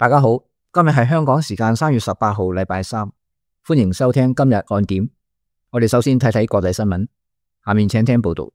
大家好，今日係香港時間3月18號，禮拜三，歡迎收聽今日看點。我哋首先睇睇國際新聞，下面請聽報道。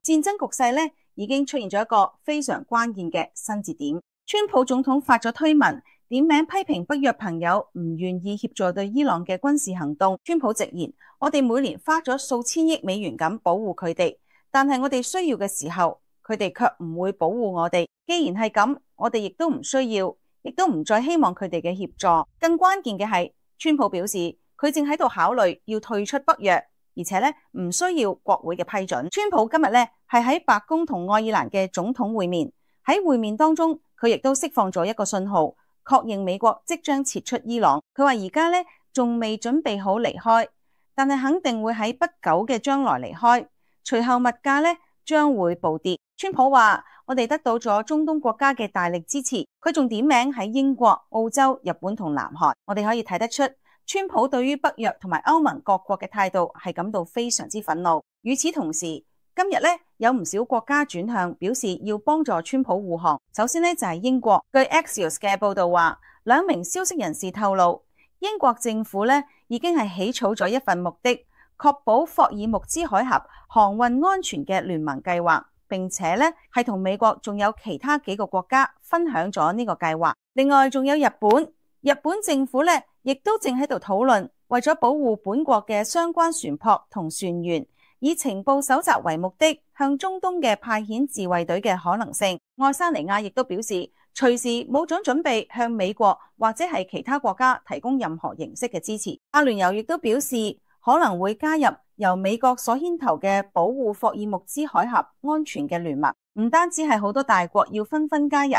戰爭局勢呢已經出現咗一個非常關鍵嘅新節點。川普總統發咗推文，點名批評北約朋友唔願意協助對伊朗嘅軍事行動。川普直言：我哋每年花咗數千億美元咁保護佢哋，但係我哋需要嘅時候，佢哋卻唔會保護我哋。既然係咁，我哋亦都唔需要，亦都唔再希望佢哋嘅協助。更關鍵嘅係，川普表示佢正喺度考慮要退出北約，而且咧唔需要國會嘅批准。川普今日咧係喺白宮同愛爾蘭嘅總統會面，喺會面當中，佢亦都釋放咗一個信號，確認美國即將撤出伊朗。佢話而家咧仲未準備好離開，但係肯定會喺不久嘅將來離開。隨後物價咧將會暴跌。川普話：我哋得到咗中東國家嘅大力支持。佢仲點名喺英國、澳洲、日本同南韓。我哋可以睇得出，川普對於北約同埋歐盟各國嘅態度係感到非常之憤怒。與此同時，今日咧有唔少國家轉向表示要幫助川普護航。首先咧就係英國，據 Axios 嘅報道話，2名消息人士透露，英國政府咧已經係起草咗一份目的確保霍爾木茲海峽航運安全嘅聯盟計劃，並且咧係同美國仲有其他幾個國家分享咗呢個計劃。另外仲有日本，日本政府咧亦都正喺度討論，為咗保護本國嘅相關船舶同船員，以情報搜集為目的，向中東嘅派遣自衛隊嘅可能性。愛沙尼亞亦都表示，隨時冇準備向美國或者係其他國家提供任何形式嘅支持。阿聯酋亦都表示，可能會加入由美國所牽頭嘅保護霍爾木茲海峽安全嘅聯盟。唔單止係好多大國要紛紛加入，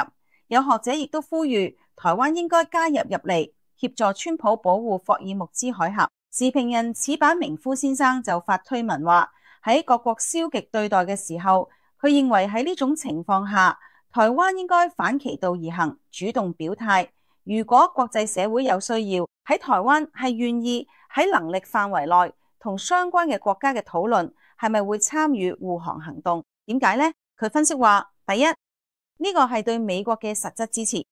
有學者亦都呼籲台灣應該加入嚟協助川普保護霍爾木茲海峽。時評人矢板明夫先生就發推文話，喺各國消極對待嘅時候，佢認為喺呢種情況下，台灣應該反其道而行，主動表態。如果國際社會有需要，喺台灣係願意喺能力範圍內同相關嘅國家嘅討論，係咪會參與護航行動？點解呢？佢分析話，第一，呢個係對美國嘅實質支持。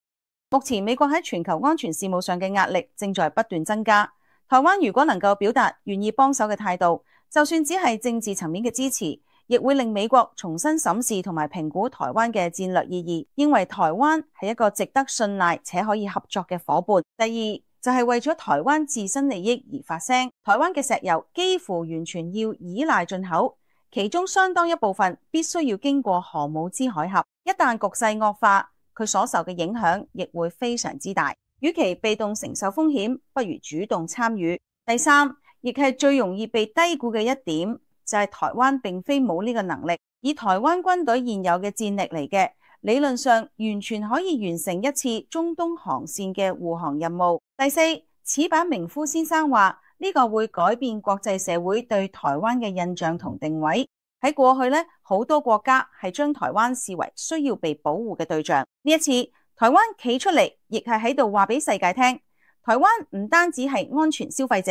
目前美國喺全球安全事務上嘅壓力正在不斷增加。台灣如果能夠表達願意幫手嘅態度，就算只係政治層面嘅支持，亦會令美國重新審視同埋評估台灣嘅戰略意義，認為台灣係一個值得信賴且可以合作嘅夥伴。第二，就係為咗台灣自身利益而發聲。台灣嘅石油幾乎完全要依賴進口，其中相當一部分必須要經過荷姆茲海峽。一旦局勢惡化，佢所受嘅影響亦會非常之大。與其被動承受風險，不如主動參與。第三，亦係最容易被低估嘅一點，就係台灣並非冇呢個能力。以台灣軍隊現有嘅戰力嚟嘅，理論上完全可以完成一次中東航線嘅護航任務。第四，矢板明夫先生話，呢個會改變國際社會對台灣嘅印象同定位。喺過去呢，好多國家係將台灣視為需要被保護嘅對象。呢一次台灣企出嚟，亦係喺度話俾世界聽，台灣唔單止係安全消費者，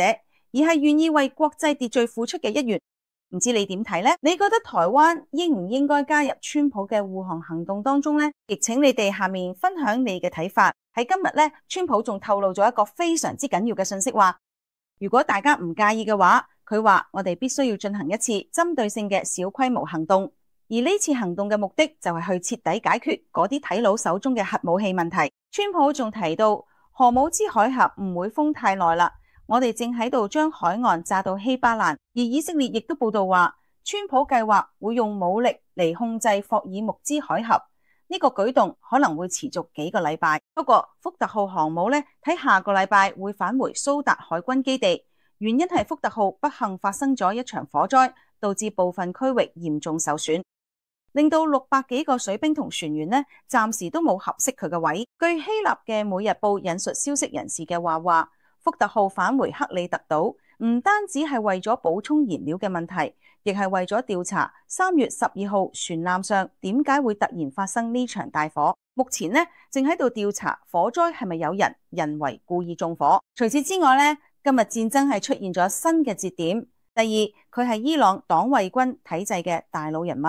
而係願意為國際秩序付出嘅一員。唔知你點睇呢？你覺得台灣應唔應該加入川普嘅護航行動當中呢？亦請你哋下面分享你嘅睇法。喺今日呢，川普仲透露咗一個非常之緊要嘅信息，話如果大家唔介意嘅話，佢話我哋必須要進行一次針對性嘅小規模行動。而呢次行動嘅目的就係去徹底解決嗰啲睇佬手中嘅核武器問題。川普仲提到，荷姆茲海峽唔會封太耐啦，我哋正喺度將海岸炸到稀巴爛。而以色列亦都報道話，川普計劃會用武力嚟控制霍爾木茲海峽。呢個舉動可能會持續幾個禮拜。不過福特號航母呢，喺下個禮拜會返回蘇達海軍基地，原因係福特號不幸發生咗一場火災，導致部分區域嚴重受損，令到600幾個水兵同船員呢，暫時都冇合適佢嘅位。據希臘嘅每日報引述消息人士嘅話，福特號返回克里特島，唔單止係為咗補充燃料嘅問題，亦係為咗調查3月12號船艦上點解會突然發生呢場大火。目前呢，正喺度調查火災係咪有人為故意縱火。除此之外呢，今日戰爭係出現咗新嘅節點。第二，佢係伊朗黨衛軍體制嘅大佬人物。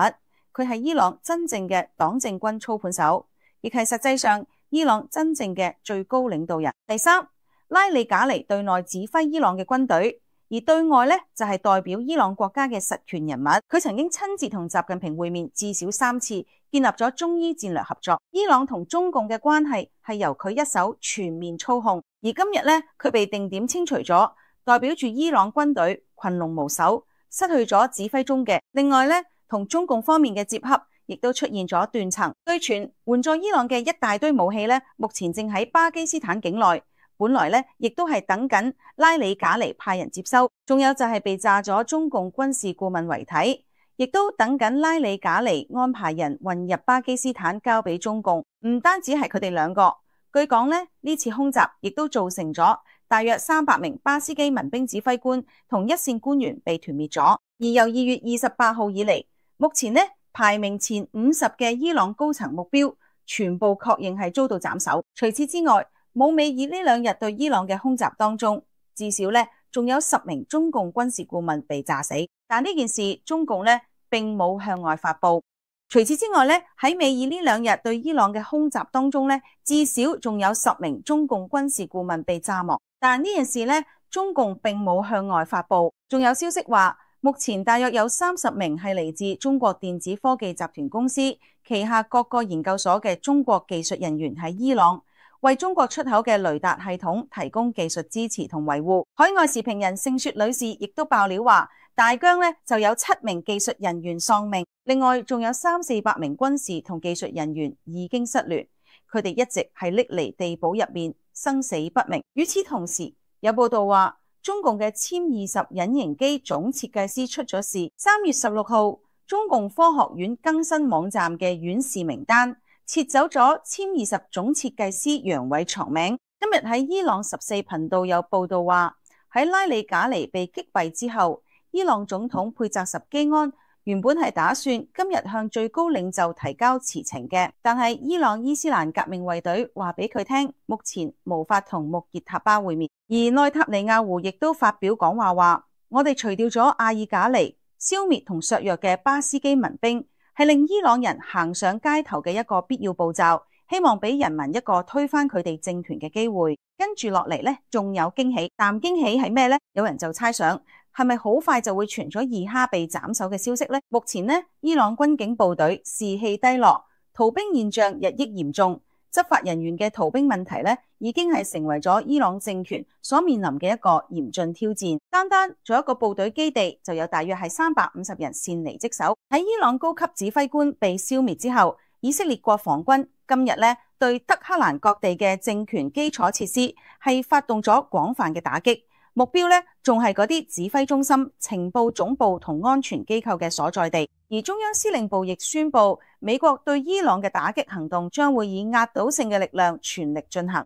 佢係伊朗真正嘅黨政軍操盤手，亦係實際上伊朗真正嘅最高領導人。第三，拉里賈尼對內指揮伊朗嘅軍隊，而對外呢就係代表伊朗國家嘅實權人物。佢曾經親自同習近平會面至少3次，建立咗中伊戰略合作。伊朗同中共嘅關係係由佢一手全面操控，而今日呢，佢被定點清除咗，代表住伊朗軍隊群龍無首，失去咗指揮中嘅。另外呢，同中共方面嘅接洽亦都出現咗斷層。據傳援助伊朗嘅一大堆武器呢，目前正喺巴基斯坦境內，本來呢亦都係等緊拉里賈尼派人接收。仲有就係被炸咗中共軍事顧問遺體，亦都等緊拉里賈尼安排人運入巴基斯坦交俾中共。唔單止係佢哋兩個，據講呢，呢次空襲亦都造成咗大約300名巴斯基民兵指揮官同一線官員被團滅咗。而由2月28號以嚟，目前呢排名前50嘅伊朗高層目標全部確認係遭到斬首。除此之外，冇美爾呢2日對伊朗嘅空襲當中，至少呢仲有10名中共軍事顧問被炸死。但呢件事中共呢並冇向外發布。除此之外呢，喺美爾呢2日對伊朗嘅空襲當中呢，至少仲有10名中共軍事顧問被炸亡。但呢件事呢，中共並冇向外發布。仲有消息話，目前大約有30名係嚟自中國電子科技集團公司旗下各個研究所嘅中國技術人員喺伊朗，為中國出口嘅雷達系統提供技術支持同維護。海外時評人盛雪女士亦都爆料話，大疆呢就有7名技術人員喪命，另外仲有300-400名軍事同技術人員已經失聯，佢哋一直係匿離地堡入面，生死不明。與此同時，有報道話，中共嘅殲20隱形機總設計師出咗事。3月16號，中共科學院更新網站嘅院士名單，撤走咗殲20總設計師楊偉床名。今日喺伊朗14頻道有報道話，喺拉里賈尼被擊斃之後，伊朗總統佩澤什基安原本係打算今日向最高領袖提交辭呈嘅，但係伊朗伊斯蘭革命衛隊話俾佢聽，目前無法同穆傑塔巴會面。而內塔尼亞胡亦都發表講話話，我哋除掉咗阿爾賈尼，消滅同削弱嘅巴斯基民兵，係令伊朗人行上街頭嘅一個必要步驟，希望俾人民一個推翻佢哋政權嘅機會。跟住落嚟呢，仲有驚喜，但驚喜係咩呢？有人就猜想，係咪好快就會傳咗二哈被斬首嘅消息呢？目前呢，伊朗軍警部隊士氣低落，逃兵現象日益嚴重，執法人員嘅逃兵問題呢，已經係成為咗伊朗政權所面臨嘅一個嚴峻挑戰。單做一個部隊基地就有大約係350人擅離職守。喺伊朗高級指揮官被消滅之後，以色列國防軍今日呢，對德黑蘭各地嘅政權基礎設施係發動咗廣泛嘅打擊。目標呢，仲係嗰啲指揮中心、情報總部同安全機構嘅所在地。而中央司令部亦宣布，美國對伊朗嘅打擊行動將會以壓倒性嘅力量全力進行。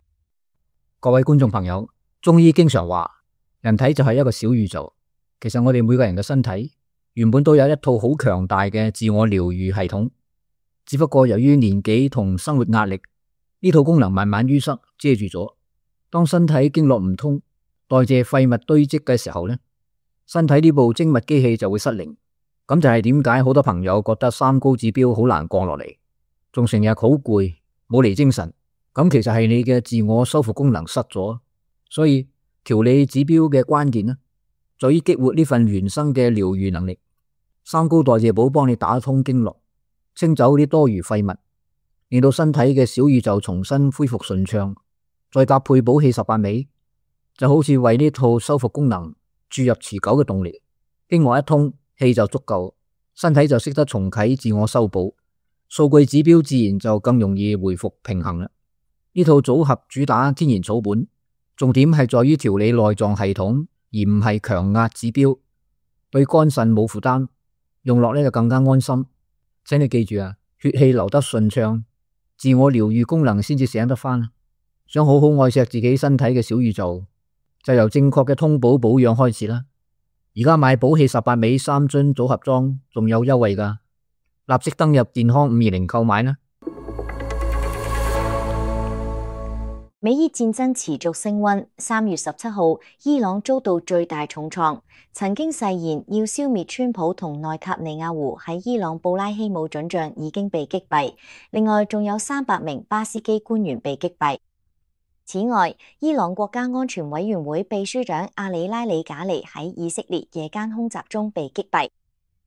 各位觀眾朋友，中醫經常話，人體就係一個小宇宙。其實我哋每個人嘅身體原本都有一套好強大嘅自我療癒系統，只不過由於年紀同生活壓力，呢套功能慢慢淤塞遮住咗。當身體經絡唔通，代謝廢物堆積嘅時候呢，身體呢部精密機器就會失靈。咁就係點解好多朋友覺得三高指標好難降落嚟，仲成日好攰，冇嚟精神。咁其實係你嘅自我修復功能失咗。所以調理指標嘅關鍵呢，在於激活呢份原生嘅療癒能力。三高代謝寶幫你打通經絡，清走啲多餘廢物，令到身體嘅小宇宙重新恢復順暢。再搭配補氣18味，就好似為呢套修復功能注入持久嘅動力。經絡一通，氣就足夠，身體就識得重啟自我修補，數據指標自然就更容易回復平衡啦。呢套組合主打天然草本，重點係在於調理內臟系統，而唔係強壓指標，對肝腎冇負擔，用落呢就更加安心。請你記住啊，血氣流得順暢，自我療癒功能先至醒得返。想好好愛錫自己身體嘅小宇宙，就由正確嘅通補保養開始啦。而家買補氣18味3樽組合裝仲有優惠㗎，立即登入健康520購買啦。美伊戰爭持續升溫。3月17號，伊朗遭到最大重創，曾經誓言要消滅川普同內塔尼亞胡喺伊朗布拉希姆准將已經被擊斃，另外仲有300名巴斯基官員被擊斃。此外，伊朗國家安全委員會秘書長阿里拉里賈尼喺以色列夜間空襲中被擊斃。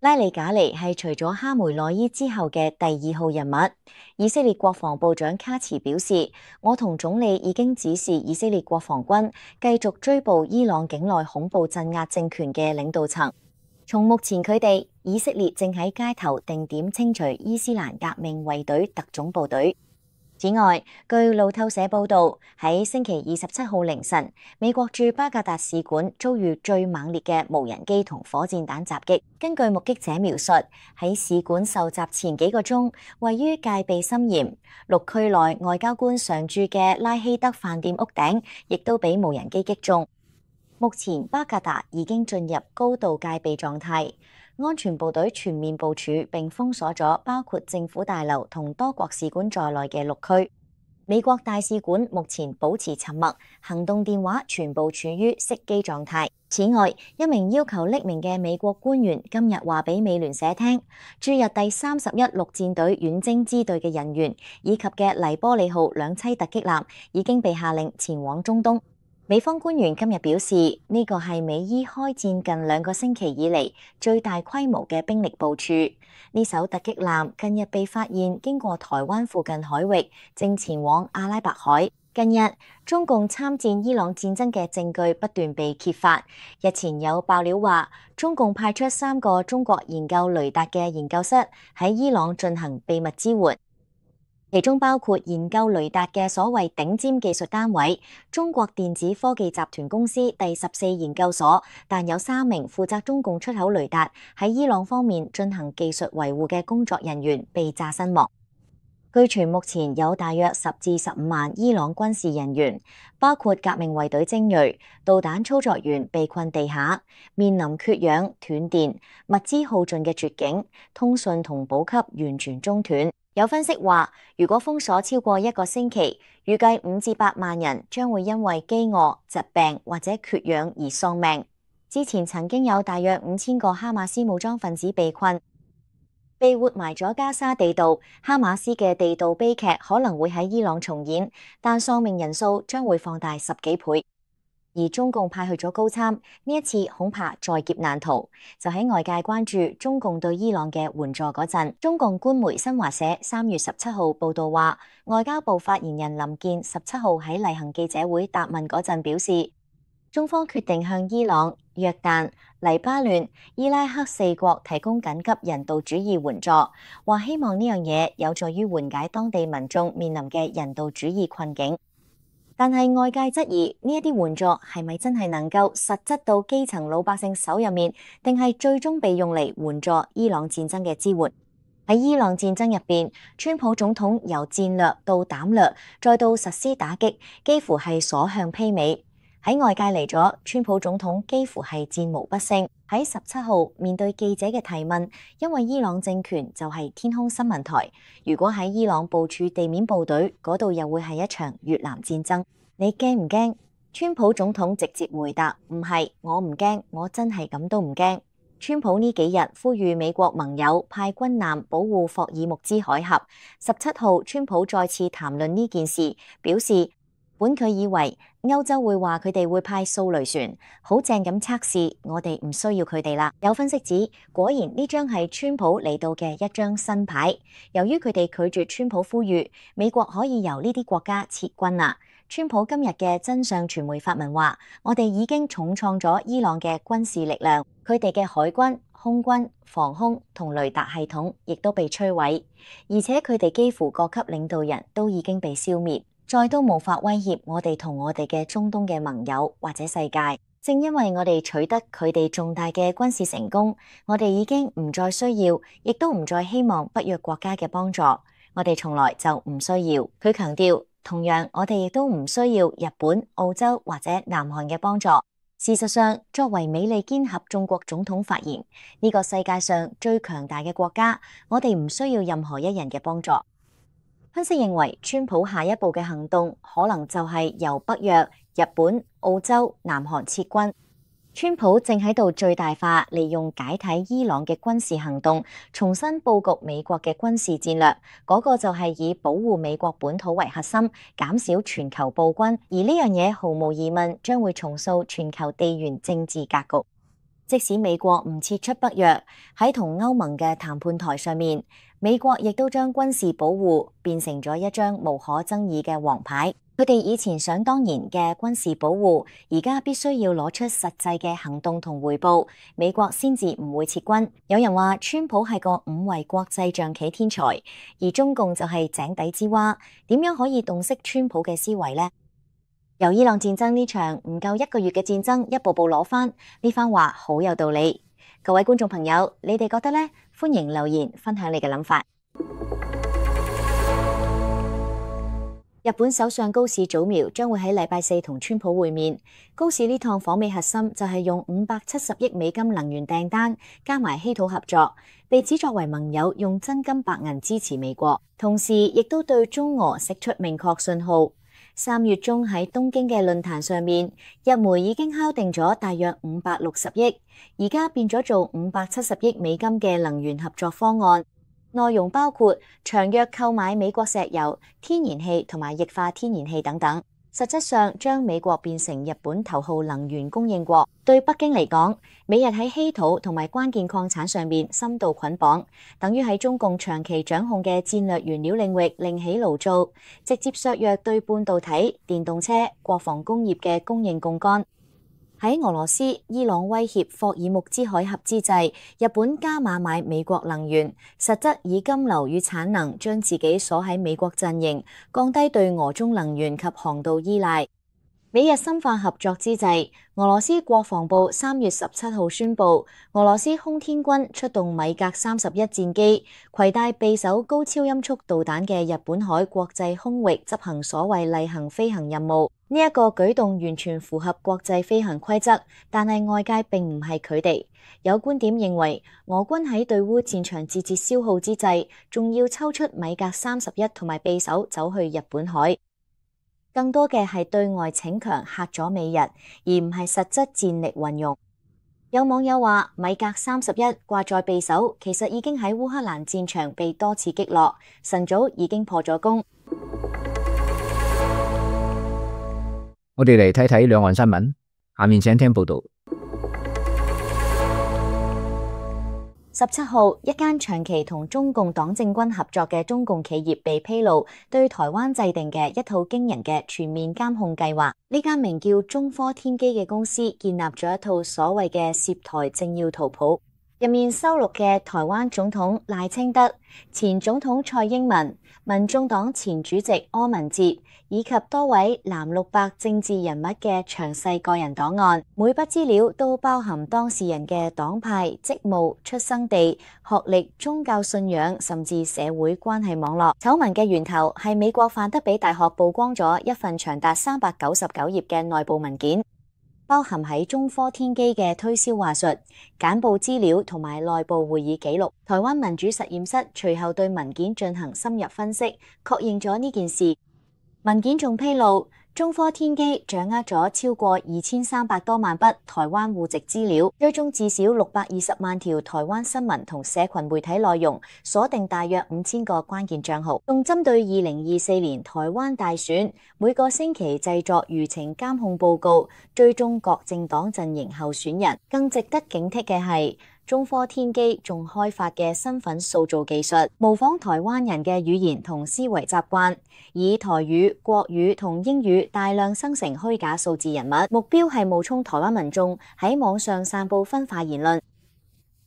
拉里賈尼係除咗哈梅內伊之後嘅第2號人物。以色列國防部長卡茨表示，我同總理已經指示以色列國防軍繼續追捕伊朗境內恐怖鎮壓政權嘅領導層。從目前佢哋，以色列正喺街頭定點清除伊斯蘭革命衛隊特種部隊。此外，據路透社報導，喺星期27號凌晨，美國駐巴格達使館遭遇最猛烈嘅無人機同火箭彈襲擊。根據目擊者描述，喺使館受襲前幾個鐘，位於戒備森嚴、綠區內外交官常駐嘅拉希德飯店屋頂，亦都俾無人機擊中。目前巴格達已經進入高度戒備狀態。安全部隊全面部署並封鎖咗包括政府大樓同多國使館在內嘅綠區。美國大使館目前保持沉默，行動電話全部處於熄機狀態。此外，一名要求匿名嘅美國官員今日話俾美聯社聽，駐日第31陸戰隊遠征支隊嘅人員以及嘅黎波里號2棲突擊艦已經被下令前往中東。美方官員今日表示，呢個係美伊開戰近2個星期以嚟最大規模嘅兵力部署。呢艘突擊艦近日被發現經過台灣附近海域，正前往阿拉伯海。近日，中共參戰伊朗戰爭嘅證據不斷被揭發。日前有爆料話，中共派出3個中國研究雷達嘅研究室喺伊朗進行秘密支援。其中包括研究雷達嘅所謂頂尖技術單位中國電子科技集團公司第14研究所，但有3名負責中共出口雷達喺伊朗方面進行技術維護嘅工作人員被炸身亡。據傳目前有大約10至15萬伊朗軍事人員，包括革命衛隊精銳、導彈操作員被困地下，面臨缺氧、斷電、物資耗盡嘅絕境，通訊同補給完全中斷。有分析話，如果封鎖超過1個星期，預計5至8萬人將會因為飢餓、疾病或者缺氧而喪命。之前曾經有大約5000個哈馬斯武裝分子被困，被活埋咗加沙地道。哈馬斯嘅地道悲劇可能會喺伊朗重演，但喪命人數將會放大10幾倍。而中共派去咗高參，呢一次恐怕在劫難逃。就喺外界關注中共對伊朗嘅援助嗰陣，中共官媒新華社3月17號報道話，外交部發言人林健17號喺例行記者會答問嗰陣表示，中方決定向伊朗、約旦、黎巴嫩、伊拉克4國提供緊急人道主義援助，話希望呢樣嘢有助於緩解當地民眾面臨嘅人道主義困境。但係外界質疑呢一啲援助係咪真係能夠實質到基層老百姓手入面，定係最終被用嚟援助伊朗戰爭嘅支援？喺伊朗戰爭入邊，川普總統由戰略到膽略，再到實施打擊，幾乎係所向披靡。喺外界嚟咗，川普總統幾乎係戰無不勝。喺17號面對記者嘅提問，因為伊朗政權就係天空新聞台，如果喺伊朗部署地面部隊，嗰度又會係一場越南戰爭，你驚唔驚？川普總統直接回答：唔係，我唔驚，我真係咁都唔驚。川普呢幾日呼籲美國盟友派軍艦保護霍爾木茲海峽。17號，川普再次談論呢件事，表示本佢以為歐洲會話佢哋會派掃雷船，好正咁測試，我哋唔需要佢哋啦。有分析指，果然呢張係川普嚟到嘅一張新牌。由於佢哋拒絕川普呼籲，美國可以由呢啲國家撤軍啦。川普今日嘅真相傳媒發文話，我哋已經重創咗伊朗嘅軍事力量，佢哋嘅海軍、空軍、防空同雷達系統亦都被摧毀，而且佢哋幾乎各級領導人都已經被消滅。再都無法威脅我哋同我哋嘅中東嘅盟友或者世界。正因為我哋取得佢哋重大嘅軍事成功，我哋已經唔再需要，亦都唔再希望北約國家嘅幫助。我哋從來就唔需要。佢強調，同樣我哋亦都唔需要日本、澳洲或者南韓嘅幫助。事實上，作為美利堅合眾國總統發言，呢個世界上最強大嘅國家，我哋唔需要任何一人嘅幫助。分析認為，川普下一步嘅行動可能就係由北約、日本、澳洲、南韓撤軍。川普正喺度最大化利用解體伊朗嘅軍事行動，重新佈局美國嘅軍事戰略。嗰個就係以保護美國本土為核心，減少全球暴君。而呢樣嘢毫無疑問將會重塑全球地緣政治格局。即使美國唔撤出北約，喺同歐盟嘅談判台上面，美國亦都將軍事保護變成咗一張無可爭議嘅王牌。佢哋以前想當然嘅軍事保護，而家必須要攞出實際嘅行動同回報，美國先至唔會撤軍。有人話川普係個5維國際象棋天才，而中共就係井底之蛙，點樣可以洞悉川普嘅思維呢？由伊朗戰爭呢場唔夠1個月嘅戰爭一步步攞返，呢番話好有道理。各位觀眾朋友，你哋覺得呢？歡迎留言分享你嘅諗法。日本首相高市早苗將會喺禮拜4同川普會面。高市呢趟訪美核心就係用570億美金能源訂單加埋稀土合作，被指作為盟友用真金白銀支持美國，同時亦都對中俄釋出明確信號。3月中喺東京嘅論壇上面，日媒已經敲定咗大約560億，而家變咗做570億美金嘅能源合作方案。內容包括長約購買美國石油、天然氣同埋液化天然氣等等，實質上將美國變成日本頭號能源供應國。對北京嚟講，美日喺稀土同埋關鍵礦產上面深度捆綁，等於喺中共長期掌控嘅戰略原料領域另起爐灶，直接削弱對半導體、電動車、國防工業嘅供應槓桿。喺俄羅斯、伊朗威脅霍爾木茲海峽之際，日本加碼買美國能源，實質以金流與產能將自己鎖喺美國陣營，降低對俄中能源及航道依賴。美日深化合作之際，俄羅斯國防部3月17號宣布，俄羅斯空天軍出動米格31戰機，攜帶備手高超音速導彈嘅日本海國際空域執行所謂例行飛行任務。呢一個舉動完全符合國際飛行規則，但係外界並唔係佢哋。有觀點認為，俄軍喺對烏戰場節節消耗之際，仲要抽出米格31同埋備手走去日本海。更多嘅係對外逞強嚇咗美日，而唔係實質戰力運用。有網友話，米格31掛在備手，其實已經喺烏克蘭戰場被多次擊落，晨早已經破咗功。我哋嚟睇睇兩岸新聞，下面請聽報道。17號，一間長期同中共黨政軍合作嘅中共企業被披露對台灣制定嘅一套驚人嘅全面監控計劃。呢間名叫中科天機嘅公司建立咗一套所謂嘅涉台政要圖譜，入面收錄嘅台灣總統賴清德、前總統蔡英文、民眾黨前主席柯文哲以及多位藍綠白政治人物嘅詳細個人檔案，每筆資料都包含當事人嘅黨派、職務、出生地、學歷、宗教信仰，甚至社會關係網絡。醜聞嘅源頭係美國范德比大學曝光咗一份長達399頁嘅內部文件，包含喺中科天機嘅推銷話術、簡報資料同埋內部會議記錄。台灣民主實驗室隨後對文件進行深入分析，確認咗呢件事。文件仲披露，中科天機掌握咗超過2300多萬筆台灣戶籍資料，追蹤至少620萬條台灣新聞同社群媒體內容，鎖定大約5000個關鍵賬號，仲針對2024年台灣大選，每個星期製作輿情監控報告，追蹤各政黨陣營候選人。更值得警惕嘅係，中科天機仲開發嘅身份塑造技術，模仿台灣人嘅語言同思維習慣，以台語、國語同英語大量生成虛假數字人物，目標係冒充台灣民眾喺網上散佈分化言論。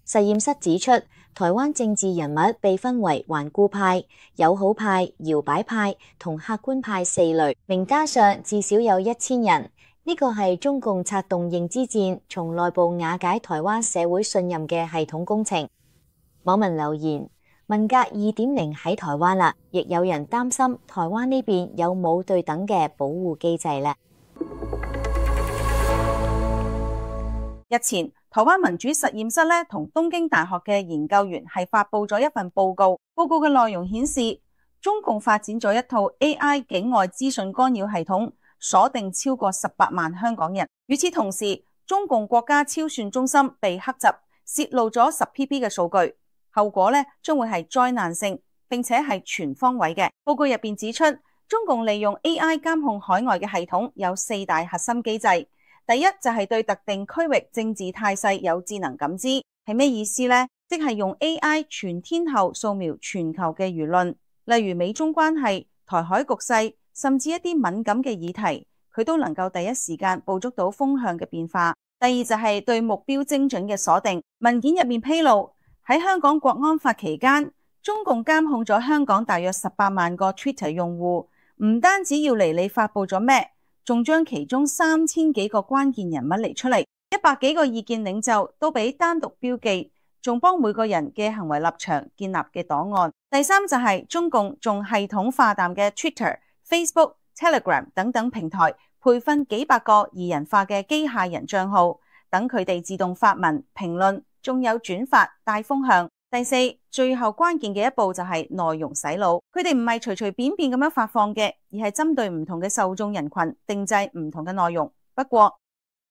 實驗室指出，台灣政治人物被分為頑固派、友好派、搖擺派同客觀派4類，名單上至少有1000人。呢個係中共策動認知戰，從內部瓦解台灣社會信任嘅系統工程。網民留言：文革 2.0 喺台灣啦，亦有人擔心台灣呢邊有冇對等嘅保護機制呢？日前，台灣民主實驗室同東京大學嘅研究員係發佈咗一份報告，報告嘅內容顯示，中共發展咗一套 AI 境外資訊干擾系統，鎖定超過18萬香港人。與此同時，中共國家超算中心被黑襲，泄露咗10PB 嘅數據，後果呢將會係災難性，並且係全方位嘅。報告入邊指出，中共利用 AI 監控海外嘅系統有4大核心機制。第一就係對特定區域政治態勢有智能感知，係咩意思呢？即係用 AI 全天候掃描全球嘅輿論，例如美中關係、台海局勢，甚至一啲敏感嘅議題，佢都能夠第一時間捕捉到風向嘅變化。第二就係對目標精準嘅鎖定。文件入面披露，喺香港國安法期間，中共監控咗香港大約18萬個 Twitter 用戶，唔單止要嚟你發布咗咩，仲將其中3000幾個關鍵人物嚟出嚟，100幾個意見領袖都俾單獨標記，仲幫每個人嘅行為立場建立嘅檔案。第三就係中共仲系統化淡嘅 Twitter、Facebook、Telegram 等等平台，培訓幾百個擬人化嘅機械人賬號，等佢哋自動發文評論，仲有轉發帶風向。第四，最後關鍵嘅一步就係內容洗腦，佢哋唔係隨隨便便咁樣發放嘅，而係針對唔同嘅受眾人群定製唔同嘅內容。不過，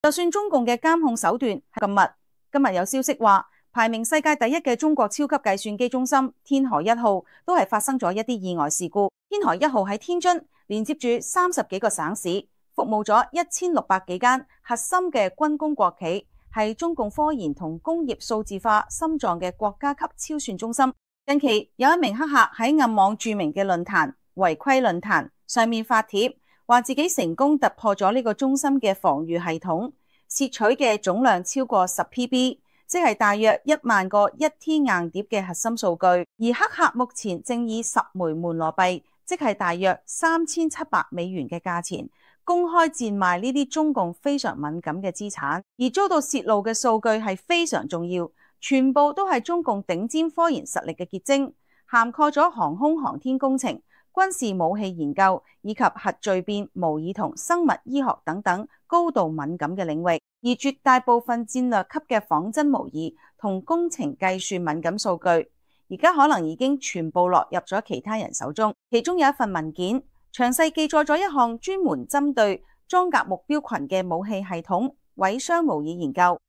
就算中共嘅監控手段係咁密，今日有消息話，排名世界第一嘅中國超級計算機中心天河1號都係發生咗一啲意外事故。天河1號喺天津連接住30幾個省市，服務咗1600幾間核心嘅軍工國企，係中共科研同工業數字化心臟嘅國家級超算中心。近期有一名黑客喺暗網著名嘅論壇違規論壇上面發帖，話自己成功突破咗呢個中心嘅防禦系統，竊取嘅總量超過10PB，即係大約1萬個1T 硬碟嘅核心數據。而黑客目前正以10枚門羅幣，即係大約3700美元嘅價錢，公開賤賣呢啲中共非常敏感嘅資產，而遭到泄露嘅數據係非常重要，全部都係中共頂尖科研實力嘅結晶，涵蓋咗航空航天工程、軍事武器研究以及核聚變、模擬同生物醫學等等高度敏感嘅領域。而絕大部分戰略級嘅仿真模擬同工程計算敏感數據，而家可能已經全部落入咗其他人手中。其中有一份文件，詳細記載咗一項專門針對裝甲目標群嘅武器系統毀傷模擬研究，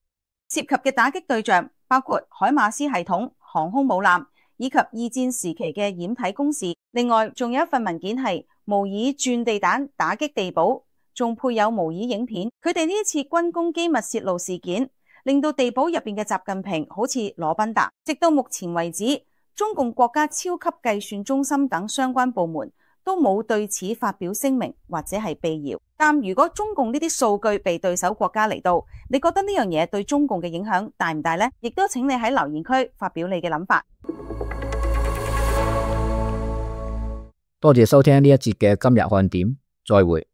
涉及嘅打擊對象包括海馬斯系統、航空母艦以及二戰時期嘅掩體工事。另外仲有一份文件係模擬鑽地彈打擊地堡，仲配有模擬影片。佢哋呢一次軍工機密泄露事件，令到地堡入邊嘅習近平好似羅賓達。直到目前為止，中共國家超級計算中心等相關部門都冇對此發表聲明或者係辟謠。但如果中共呢啲數據被對手國家嚟到，你覺得呢樣嘢對中共嘅影響大唔大呢？亦都請你喺留言區發表你嘅諗法。多謝收聽呢一節嘅今日看點，再會。